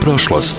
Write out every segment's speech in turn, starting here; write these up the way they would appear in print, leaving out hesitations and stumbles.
prošlost.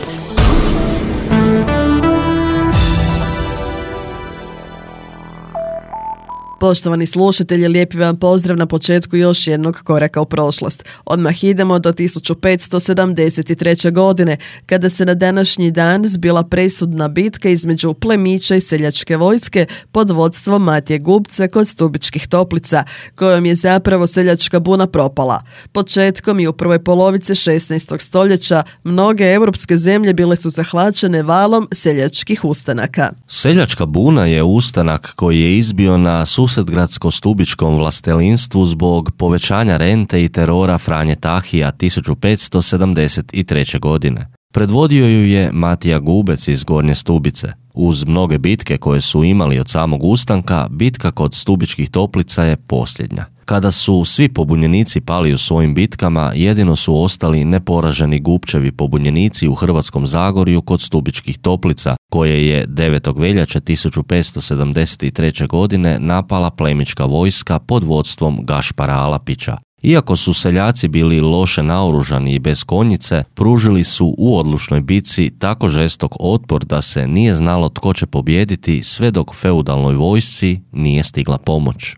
Poštovani slušatelji, lijepi vam pozdrav na početku još jednog koraka u prošlost. Odmah idemo do 1573. godine, kada se na današnji dan zbila presudna bitka između plemića i seljačke vojske pod vodstvom Matije Gubca kod Stubičkih Toplica, kojom je zapravo seljačka buna propala. Početkom i u prvoj polovici 16. stoljeća mnoge europske zemlje bile su zahvaćene valom seljačkih ustanaka. Seljačka buna je ustanak koji je izbio na Susedgradsko-Stubičkom vlastelinstvu zbog povećanja rente i terora Franje Tahija 1573. godine. Predvodio ju je Matija Gubec iz Gornje Stubice. Uz mnoge bitke koje su imali od samog ustanka, bitka kod Stubičkih Toplica je posljednja. Kada su svi pobunjenici pali u svojim bitkama, jedino su ostali neporaženi Gubčevi pobunjenici u Hrvatskom Zagorju kod Stubičkih Toplica, koje je 9. veljače 1573. godine napala plemićka vojska pod vodstvom Gašpara Alapića. Iako su seljaci bili loše naoružani i bez konjice, pružili su u odlučnoj bitci tako žestok otpor da se nije znalo tko će pobijediti sve dok feudalnoj vojsci nije stigla pomoć.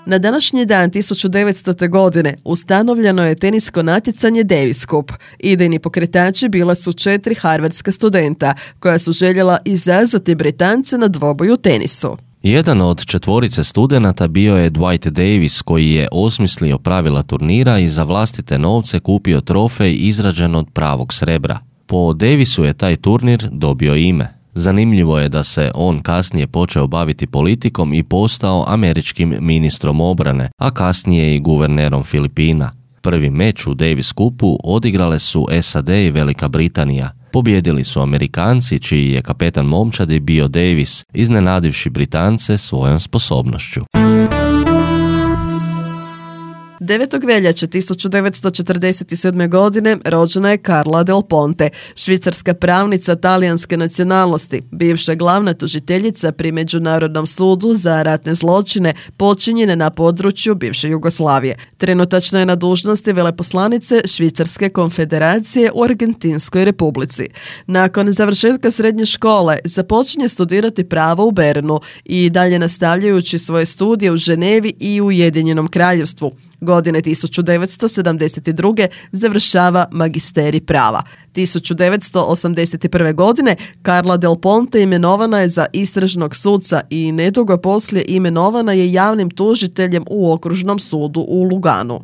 Na današnji dan 1900. godine ustanovljeno je tenisko natjecanje Davis Cup. Idejni pokretači bila su 4 harvardska studenta koja su željela izazvati Britance na dvoboj u tenisu. Jedan od 4 studenata bio je Dwight Davis, koji je osmislio pravila turnira i za vlastite novce kupio trofej izrađen od pravog srebra. Po Davisu je taj turnir dobio ime. Zanimljivo je da se on kasnije počeo baviti politikom i postao američkim ministrom obrane, a kasnije i guvernerom Filipina. Prvi meč u Davis Cupu odigrale su SAD i Velika Britanija. Pobjedili su Amerikanci, čiji je kapetan momčadi bio Davis, iznenadivši Britance svojom sposobnošću. 9. veljače 1947. godine rođena je Carla Del Ponte, švicarska pravnica talijanske nacionalnosti, bivša glavna tužiteljica pri Međunarodnom sudu za ratne zločine počinjene na području bivše Jugoslavije. Trenutačno je na dužnosti veleposlanice Švicarske konfederacije u Argentinskoj republici. Nakon završetka srednje škole započinje studirati pravo u Bernu i dalje nastavljajući svoje studije u Ženevi i u Ujedinjenom Kraljevstvu. Godine 1972. završava magisterij prava. 1981. godine Carla Del Ponte imenovana je za istražnog suca i nedugo poslije imenovana je javnim tužiteljem u Okružnom sudu u Luganu.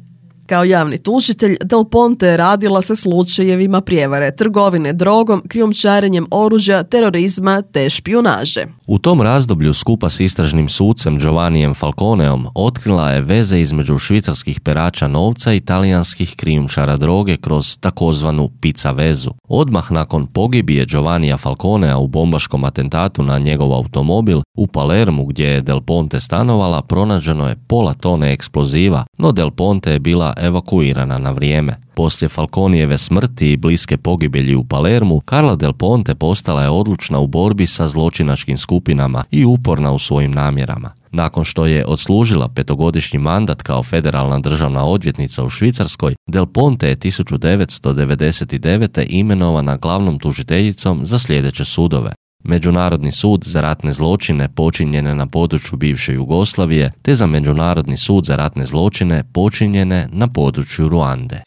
Kao javni tužitelj, Del Ponte je radila sa slučajevima prijevare, trgovine drogom, krijumčarenjem oružja, terorizma te špijunaže. U tom razdoblju skupa s istražnim sucem Giovannijem Falconeom otkrila je veze između švicarskih perača novca i talijanskih krijumčara droge kroz takozvanu pizza vezu. Odmah nakon pogibije Giovannija Falconea u bombaškom atentatu na njegov automobil u Palermu, gdje je Del Ponte stanovala, pronađeno je pola tone eksploziva, no Del Ponte je bila evakuirana na vrijeme. Poslije Falconijeve smrti i bliske pogibelji u Palermu, Carla Del Ponte postala je odlučna u borbi sa zločinačkim skupinama i uporna u svojim namjerama. Nakon što je odslužila 5-godišnji mandat kao federalna državna odvjetnica u Švicarskoj, Del Ponte je 1999. imenovana glavnom tužiteljicom za sljedeće sudove: Međunarodni sud za ratne zločine počinjene na području bivše Jugoslavije, te za Međunarodni sud za ratne zločine počinjene na području Ruande.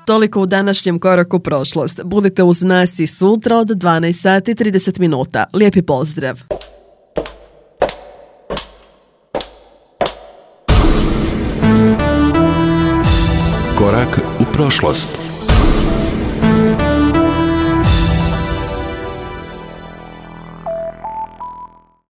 Toliko u današnjem koraku prošlost. Budite uz nas i sutra od 12:30. Lijepi pozdrav! Korak u prošlost.